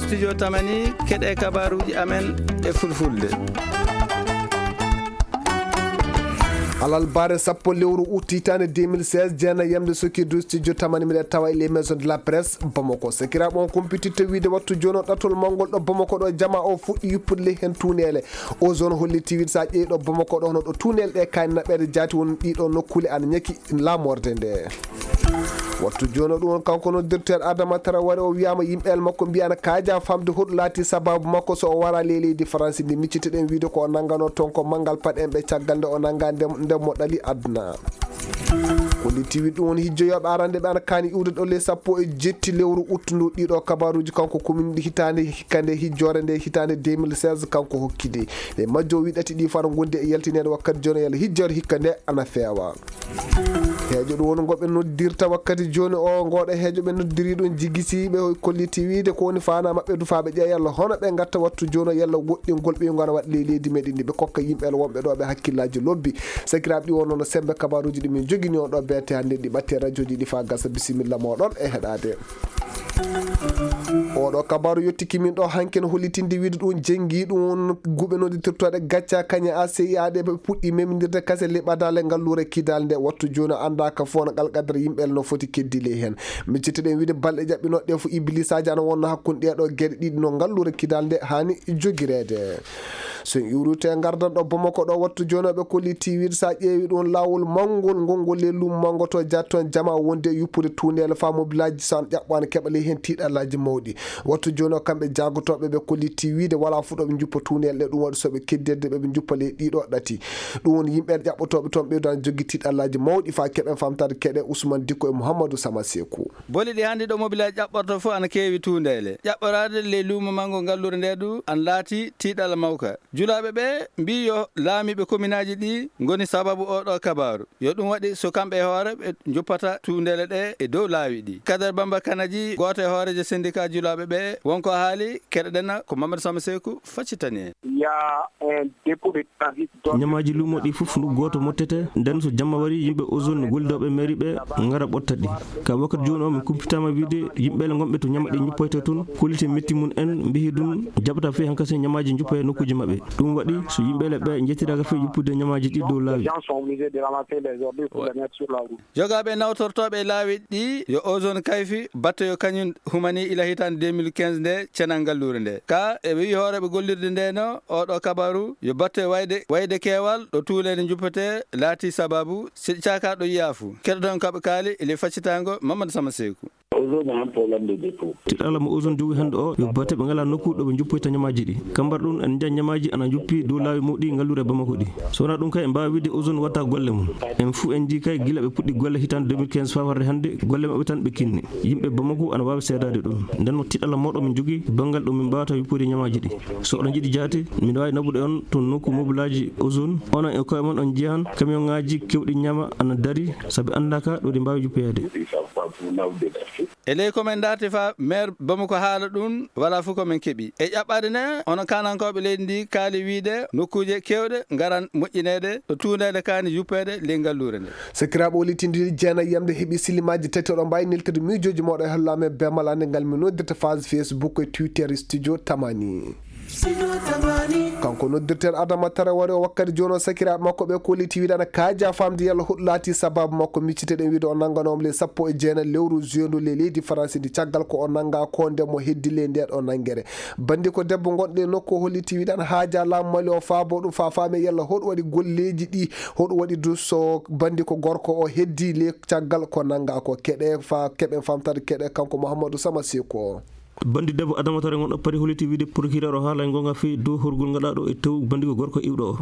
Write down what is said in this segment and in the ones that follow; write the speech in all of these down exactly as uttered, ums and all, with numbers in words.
Studio Tamani, keɗe kabaruuji amen e fulfulde. Alarba sappo lewru ut hitaande deux mille seize, jeenayi yamde sokirdu Studio Tamani, miɗen tawa e les maisons de la presse Bamako. Sakiraaɓe, on kumpititte wiide wattu jooni o ɗatol mawngol ɗo Bamako ɗo, jama o fuɗɗi yuppude ley heen tuuneele. O zone hollitii wiide so a ƴeewi ɗo Bamako ɗo, hono ɗo tuuneele ɗe kaani naɓeede jaati, won ɗiɗo nokkuule ana ñaki laamorde nde. Wattu jooni o ɗum woni kanko noddirteeɗo Adama Traoré, o wiyaama yimɓe el makko mbiya ana kaaja famde hoɗum laati sababu makko so o wara ley leydi Faransi ndi. Miccitoɗen wiide ko o nannganoo toon ko manngal paɗe en ɓe caggal nde o nannga nde, nde mo ɗali aduna. Ko li tiwi ɗum woni hijjoyooɓe arande ɓe ana kaani iwde ɗo ley sappo e jetti lewru ut ndu. Ɗiɗo kabaruuji kanko kumini ɗi hitaande hikka nde hijjoore nde hitaande deux mille seize kanko hokkidi. Ɗe majjo wi ɗati ɗi fof ana ngondi e yaltineede wakkati jooni yalla hijjoore hikka nde ana feewa. Heejo ɗum woni ngo ɓe noddirta wakkati jooni o, ngoɗo heejo ɓe noddiri ɗum jigisiiɓe, kolliti wiide ko woni faana maɓɓe du faa ɓe ƴeewa yalla hono ɓe ngatta wattu jooni o yalla woɗɗingol ɓe ngo ana waɗa ley leydi meɗen ndi, ɓe kokka yimɓe wonɓe ɗo ɓe hakkillaaji lobbi. Sakiraaɓe, ɗi wonno no semmbe kabaruuji ɗi min joginii on ɗo B T hannde ɗi ɓatte rajooji ɗi faa gasa. Bisimilla mooɗon e heɗaade. Oɗo kabaru yottiki min ɗo hanki no hollitinde wiide ɗum jengi ɗum guɓe noddirtooɗe gacca kañe A C I A ɗe ɓe puɗɗi memindirde kase le ɓadaale ngalluure kidal nde wattu jooni annda ka fof no alqadara yimɓe no foti keddi ley heen. Miccitoɗen wiide balɗe ƴaɓɓinooɗe ɗe fof iblisaaji ana wonno hakkunde ɗee ɗo geɗe ɗiɗi no ngalluure kidal nde haani jogireede. So en iwrute ngardan ɗo Bamako ɗo wattu jooni o ɓe kolliti wiide so a ƴeewi ɗum laawol mawngol ngol ngol le luumo manngo to jatton jama wonde e yuppude tuuneele faa mobilaaji so an ƴaɓɓaano keɓa ley heen tiiɗallaaji mawɗi. Wattu jooni o kamɓe jaagotooɓe ɓe kolliti wiide walaa fof ɗo ɓe njuppa tuuneele ɗe ɗum waɗi so ɓe keddirde ɓe ɓe njuppa ley ɗiɗo ɗati. Ɗum woni yimɓe ƴaɓɓotooɓe toon ɓeydo ana joggi tiiɗallaaji mawɗi faa keɓen famtaade keɗe Ousmane Dikko e Mouhamadou Sama Sekou. Boli ɗi hannde ɗo mobilaaji ƴaɓɓorto fof ana keewi tuuneele. Ƴaɓɓoraade ley luumo manngo ngalluure nde du ana laati tiiɗalla mawka. Julaaɓe ɓe mbii yo laamiiɓe kominaaji ɗi ngoni sababu oo ɗoo kabaaru. Yo ɗum waɗi so kamɓe e hoore ɓe njuppata tuundeele ɗe e dow laawi ɗi. Kader Bamba Kanaji, gooto e hooreejo senndikaa julaaɓe ɓe, won ko haali, keɗoɗen ko Mamadou Sama Seeku faccitani en. Il y a un dépôt de transit. Ñamaaji luumo ɗi fof ndu gooto mottete, nden so jamma wari yimɓe ozone gollidooɓe mairie ɓe ngara ɓotta ɗi. Ka wakkati jooni o, min kumpitaama wiide yimɓe le ngonɓe to ñama ɗi ñuppoyta toon, kollite metti mum en mbihi ɗum jaɓata fii hankasi ñamaaji njuppa e nokkuuji maɓɓe. Ɗum waɗi so yimɓe le ɓe njettiraaka fii yuppude ñamaaji ɗi dow laawi. Les gens sont obligés de ramasser les ordures pour les mettre sur la route. Jogaaɓe nawtortooɓe e laawi ɗi yo ozone kayfi batte yo kañum humani ila hitaande deux mille quinze nde cenal ngalluure nde. Ka e ɓe wiyi hooreeɓe gollirde nde no oɗo kabaru yo batte wayde, wayde keewal ɗo tuuleede njuppete laati sababu si caaka ɗo yiyaa fu. Keɗoton kaɓe kaali e le faccitaango Mamadou Sama Seeku. Ozone a un problème de dépôt. Tiɗalla mo ozone jogi hannde o yo batte ɓe ngalaa nokku ɗo ɓe njuppoyta ñamaaji ɗi. Kambar ɗum en njiya ñamaaji ana njuppi dow laawi mawɗi ngalluure Bamako ɗi. So wonaa ɗum kay en mbaawa wiide ozone watta golle mum. En fuu en njii kay gila ɓe puɗɗi golle hitaande deux mille quinze faa warde hannde golle maɓɓe tan ɓe kinni. Yimɓe Bamako ana waawi seedaade ɗum. Nden no tiɗalla mawɗo min njogii banngal ɗo min mbaawata yuppude ñamaaji ɗi. So oɗon njiɗi jaati, min waawi naɓude on to nokku mobilaaji ozone. Onon e koye mon on njiyan kamiyonŋaaji kewɗi ñama ana dari, sabi anndaaka ɗo ɗi mbaawi juppoyaade. E ley ko men darti fa maire Bamako haala ɗum, wala fof ko men keɓi. E ƴaɓɓaade ne, hono kaanankooɓe leydi ndi kaali wiide nokkuuje keewɗe ngaran moƴƴineede ɗo tuuneede kaani yuppeede ley ngalluure nde. Sakiraaɓe, o litindiri jeenayi yamde heɓi silimaaji tati, oɗon mbaawi neltude miijooji mooɗon e hollaame be malande ngal mi noddirta phase Facebook e Twitter Studio Tamani. Kanko noddirten Adama Traoré o wakkati jooni o sakiraaɓe makko ɓe kolliti wiide ana kaaja famde yalla hoɗum laati sababu makko. Micciteɗen wiide o nannganooma le sappo e jeenayi lewru juin ndu le leydi Faransi ndi caggal ko o nannga ko nde mo heddi le nde ɗo nanngere. Bandi ko debbo gonɗo e nokku o holliti wiide ana haaja laamu Mali o faabo ɗum faa faame yalla hoɗum waɗi golleeji ɗi, hoɗum waɗi du so bandi ko gorko o heddi le caggal ko nannga ko keɗe faa keɓen famtade keɗe kanko Mouhamadou Sama Seko. Bandi debbo Adama Traoré gonɗo Paris holliti wiide procureur o haala e goonga fii dow horgol ngaɗaaɗo e tew bandi ko gorko iwɗo o.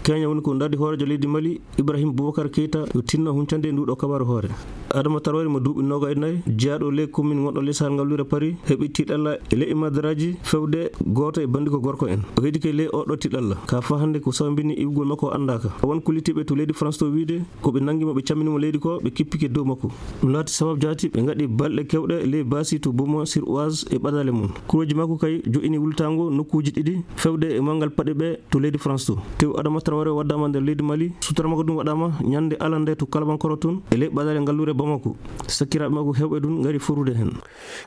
Keña woni ko ndaardi hooreejo leydi Mali, Ibrahim Boubacar Keita, yo tinno huncande e nduɗo kabaru hoore. Adama Traoré mo duuɓi noogay e nayi, jeyaaɗo ley commune gonɗo ley Sahel ngalluure Paris, heɓi tiiɗalla e leƴƴi madaraaji fewde gooto e bandi ko gorko en. O heddike ley oɗo tiiɗalla. Ka faa hannde ko sababini iwgol makko o anndaaka. Won kollitiiɓe to leydi France to wiide, ko ɓe nanngi mo, ɓe cammini mo leydi ko, ɓe kippike dow makko. Ɗum laati sababu jaati ɓe ngaɗi balɗe kewɗe ley baasi to Beaumont-sur-Oise e ɓadaale mum. Kurooji makko kay jo'ini wultaango nokkuuji ɗiɗi fewde e manngal paɗe ɓe to leydi France to. Tew Adama Traoré waddaama nder leydi Mali, sutura makko ɗum waɗaama ñande alarnde to Kalabankoro toon e ley ɓadaale ngalluure Bamako, sakiraaɓe makko heewɓe ɗum ngari forude heen.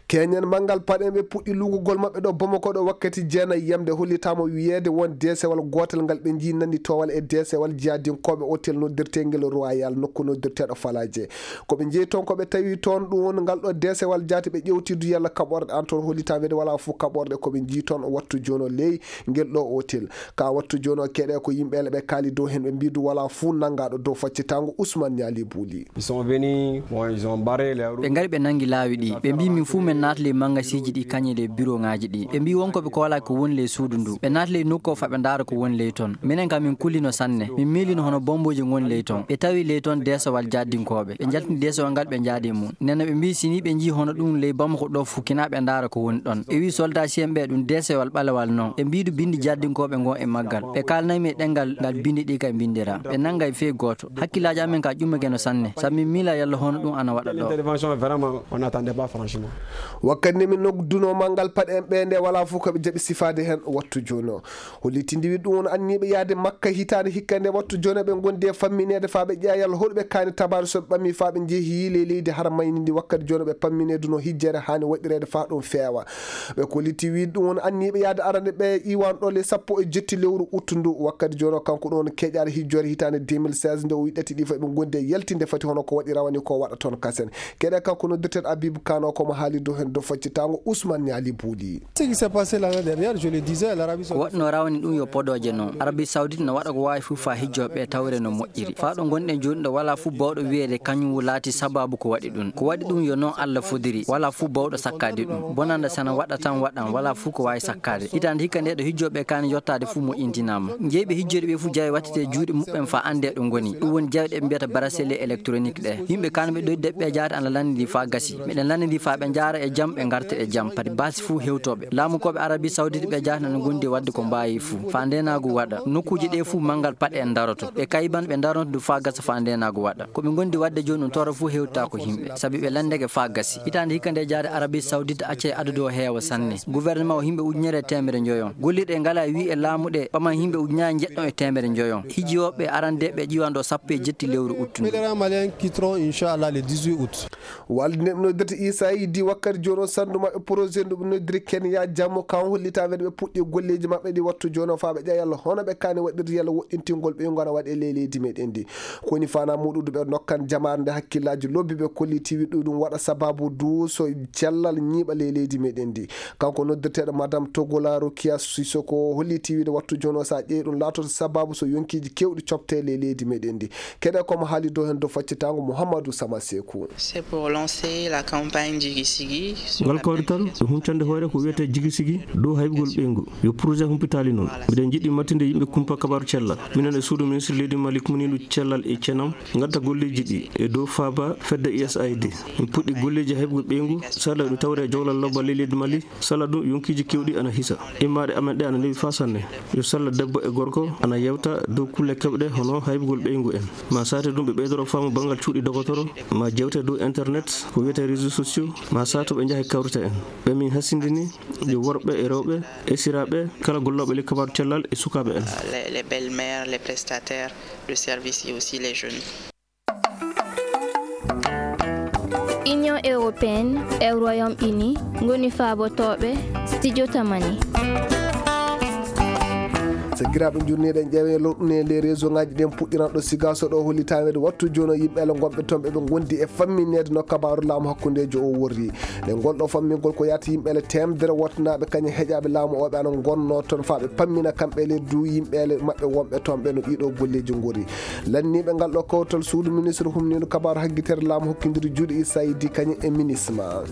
Keñen manngal paɗe ɓe puɗɗi luugugol maɓɓe ɗo Bamako ɗo wakkati jeenayi yamde, hollitaama wiyeede won deesewal gootal ngal ɓe njii nannditoowal e deesewal jihadinkooɓe otel noddirteengel Royal, nokku noddirteeɗo Falaje. Ko ɓe njeyi toon, ko ɓe tawi toon ɗum woni ngal ɗo deesewal jaati ɓe ƴewtidu yalla kaɓorɗe an toon, hollitaama wiyeede walaa fof kaɓorɗe, ko ɓe njii toon o wattu jooni o ley ngel ɗo otel. Ka wattu jooni o keɗe ko yimɓe ele ɓe kaali dow heen, ɓe mbii du walaa fof nanngaaɗo dow faccitaango Ousmane Niali Bouli. Ils sont venus, bon, ils ont barré les routes. Ɓe ngari ɓe nanngi laawi ɗi. Ɓe mbii min fuu men naata ley mangasiiji ɗi kañe ley biroŋaaji ɗi. Ɓe mbii won ko ɓe koolaa ko woni ley suudu ndu. Ɓe naati ley nokku o faa ɓe ndaara ko woni ley toon. Minen kam min kulino sanne. Min miilino hono bombooji ngoni ley toon. Ɓe tawi ley toon deesowal jaadinkooɓe. Ɓe njaltini deesowal ngal ɓe njaadi e mum. Nden no ɓe mbii si nii ɓe njii hono ɗum ley Bamako ɗo fuu kinaa ɓe ndaara ko woni ɗon. Ɓe wii soldaasiyen ɓe ɗum deesowal ɓalewal non. Ɓe mbii du binndi jaadinkooɓe ngon e maggal. Ɓe kaalnay mi e ɗemngal ngal binndi ɗi kay mbinndira. Ɓe nanngay fey gooto. Hakkillaaji amen ka ƴummake no sanne, sabu min miila yalla hono ɗum ana waɗa ɗo. L'intervention, vraiment, on n'attendait pas, franchement. Wakkati nde min nodduno manngal paɗe en ɓe nde, walaa fof ko ɓe jaɓi sifaade heen wattu jooni o. Hollitinde wi ɗum won anniiɓe yahde Makka hitaande hikka nde wattu jooni o ɓe ngondi e fammineede faa ɓe ƴeewa yalla hoɗuɓe kaani tabaare so ɓe ɓami faa ɓe njehi ley leydi hara mayni ndi wakkati jooni o ɓe pammineeduno hijjere haani waɗireede faa ɗum feewa. Ɓe kolliti wi ɗum won anniiɓe yahde arande ɓe iwan ɗo le sappo e jetti lewru uttu ndu. Wakkati jooni o kanko ɗum woni keƴaɗo hijjoore hitaande deux mille seize nde o wi ɗati ɗi fof eɓe ngondi e yaltinde fati hono ko waɗi rawani ko waɗa toon kasen. Keɗe kanko noddirteeɗo Abib Kano ko mo haali dow heen dow faccitango Ousmane Niali Bouli. Ce qui s'est passé l'année dernière, je le disais, l'Arabie Ko Saoudite waɗno rawani ɗum yo podooje noon. Arabie Saoudite no waɗa ko waawi fof faa hijjooɓe ɓe tawre no moƴƴiri. Faa ɗo ngonɗen jooni ɗo walaa fof bawɗo wiyeede kañum laati sabaabu ko waɗi ɗum. Ko waɗi ɗum yo noon Allah fodiri. Walaa fof bawɗo sakkaade ɗum. Bonanda sana waɗa tan waɗan, walaa fof ko waawi sakkaade. Hitaande hikka nde ɗo hijjooɓe kaani yottaade fof moƴƴintinaama. Jeyɓe hijjoyde ɓe fof jawe wattete juuɗe muɓɓen faa anndee ɗo ngoni. Ɗum woni jawɗe ɓe mbiyata bracelet électronique ɗe. Yimɓe kaani ɓe ɗoyde ɓe jaata ana lanndidi faa gasi. Miɗen lanndidi faa ɓe njaara e jam, ɓe ngarta e jam. Padi baasi fof hewtooɓe. Laamukooɓe Arabie Saoudite ɓe jaata ana ngondi waɗde ko mbaawi fof. Faa ndeenaagu waɗa. Nokkuuji ɗe fof manngal paɗe en ndaroto. Ɓe kayiban ɓe ndaronto du faa gasa faa ndeenaagu waɗa. Ko ɓe ngondi waɗde jooni ɗum toro fof hewtaako yimɓe. Sabi ɓe lanndeke faa gasi. Hitaande hikka nde jaade Arabie Saoudite acca e adadu o heewa sanne. Gouvernement o yimɓe ujunere e teemere njoyon. Gollirɗe ngalaa wi e laamu ɗe ɓaman yimɓe ujunaaji njeɗɗon e teemere njoyon. Hijjooɓe arande ɓe ƴiwan ɗo sappo e jetti lewru uttu ndu. Pèlerins maliens quitteront, Inch'Allah, le dix-huit août. Walde nde ɓe noddirta Issa Idi wakkati jooni o sandu maɓɓe projet ndu ɓe noddiri Kenya Jammu kan hollitaama ɓe puɗɗi golleeji maɓɓe ɗi wattu jooni o faa ɓe ƴeewa yalla hono ɓe kaani waɗirde yalla woɗɗintingol ɓe ngona waɗe ley leydi meɗen ndi. Ko woni fana muɗude ɓe nokkan jamaare nde hakkillaaji lobbi ɓe kolliti wi ɗum ɗum waɗa sababu du so cellal ñiiɓa ley leydi meɗen ndi. Kanko noddirteeɗo Madame Togola Rokia Sissoko holliti wiide wattu jooni o so a ƴeewi ɗum laatoto sababu so yonkiiji keewɗi copte ley leydi meɗen ndi. Keɗe komo haali dow heen dow faccitango Mouhamadou Sama Sekou. C'est pour lancer la campagne Jigi Sigi sur Ngal la kawrital, ɓe huncande hoore ko wiyetee Jigi Sigi dow haybugol ɓeyngu. Yo projet humpitaali noon. Mbiɗen njiɗi mattinde yimɓe kumpa kabaaru cellal. Minen e suudu ministre leydi Mali kumniiɗo cellal e cenam, ngadda golleeji ɗi e dow faaba fedde U S A I D. Min puɗɗi golleeji haybugol ɓeyngu, sala ɗum tawre e jowlal lobba ley leydi Mali, sala ɗum yonkiiji keewɗi ana hisa. Immaaɗe amen ɗe ana newi faa sanne. Yo sala debbo e gorko ana yewta dow kulle keewɗe hono haybugol ɓeyngu en. Ma saate ɗum ɓe ɓeydoro faamu banngal cuuɗi dogotoro, ma jewte dow internet, ko wiyetee réseaux sociaux, ma sato ɓe njaha e kawrita en. Ɓe min hasindini, yo worɓe e rewɓe, esiraaɓe, kala gollooɓe ley kabaaru cellal e sukaaɓe en. Les, les belles-mères, les prestataires de services et aussi les jeunes. Union européenne e Royaume-Uni ngoni faabotooɓe studio Tamani. Sakiraaɓe, njurniiɗen ƴeewe lorɗune ley réseau ngaji ɗen puɗɗiranɗo Sigaso ɗo hollitaweede wattu jooni o yimɓe ala gonɓe toon ɓe ɓe ngondi e fammineede no kabaaru laamu hakkundeejo o worri. Nde ngol ɗo fammingol ko yaata yimɓe ele teemedere wottanaaɓe kañum heƴaaɓe laamu o ɓe ana ngonnoo toon faa ɓe pammina kamɓe ele du yimɓe ele maɓɓe wonɓe toon ɓe no ɗiɗo golleeji ngori. Lanniiɓe ngal ɗo kawtal suudu ministre humniiɗo kabaaru haggitere laamu hokkindiri juuɗe Issa Idi kañum e minisma.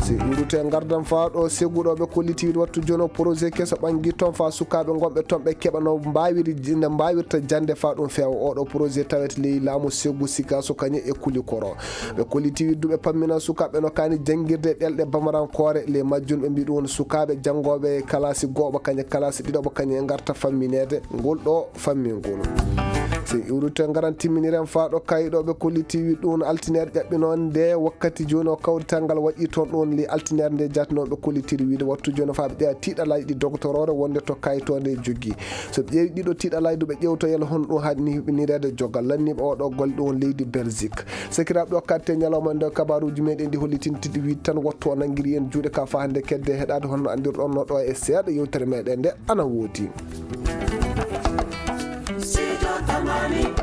Si ɗuurute ngardam faa ɗo seguɗo ɓe kolliti wiide wattu jooni o projet keso ɓangi toon faa sukaaɓe ngonɓe toon ɓe keɓa no mbaawiri, no mbaawirta jannde faa ɗum feewa. Oɗo projet tawete ley laamu segu Sikaso kañum e Kulikoro. Ɓe kolliti wiide du ɓe pammina sukaaɓe no kaani janngirde ɗelɗe bamarankoore. Ley majjum ɓe mbii ɗum woni sukaaɓe janngooɓe kalaasi gooɓa kañum kalaasi ɗiɗaɓa kañum e ngarta fammineede ngol ɗo fammingol. So en iwrito en ngaran timminiren faa ɗo kaayiɗooɓe kolliti wi ɗum altineer ƴaɓɓinoon nde wakkati jooni o kawrital ngal waɗi toon ɗum li altineer nde jaatinooɓe kollitiri wiide wattu jooni faa ɓe ƴeewa tiiɗalaaji ɗi dogotoroore wonde to kayitoonde jogii. So ɓe ƴeewi ɗiɗo tiiɗalaaji ɗo ɓe ƴeewtoyel hon ɗum haɗni huɓinireede jogal lanniiɓe oɗo golle ɗum leydi Belgique. Sakiraaɓe o katte ñalawma nde kabaruuji meɗen ɗi hollitintiɗi wiide tan wattu o nanngiri en juuɗe ka faa hannde kedde heɗaade honno anndirɗon no ɗo e seeɗa yewtere meɗen nde ana woodi. Studio Tamani.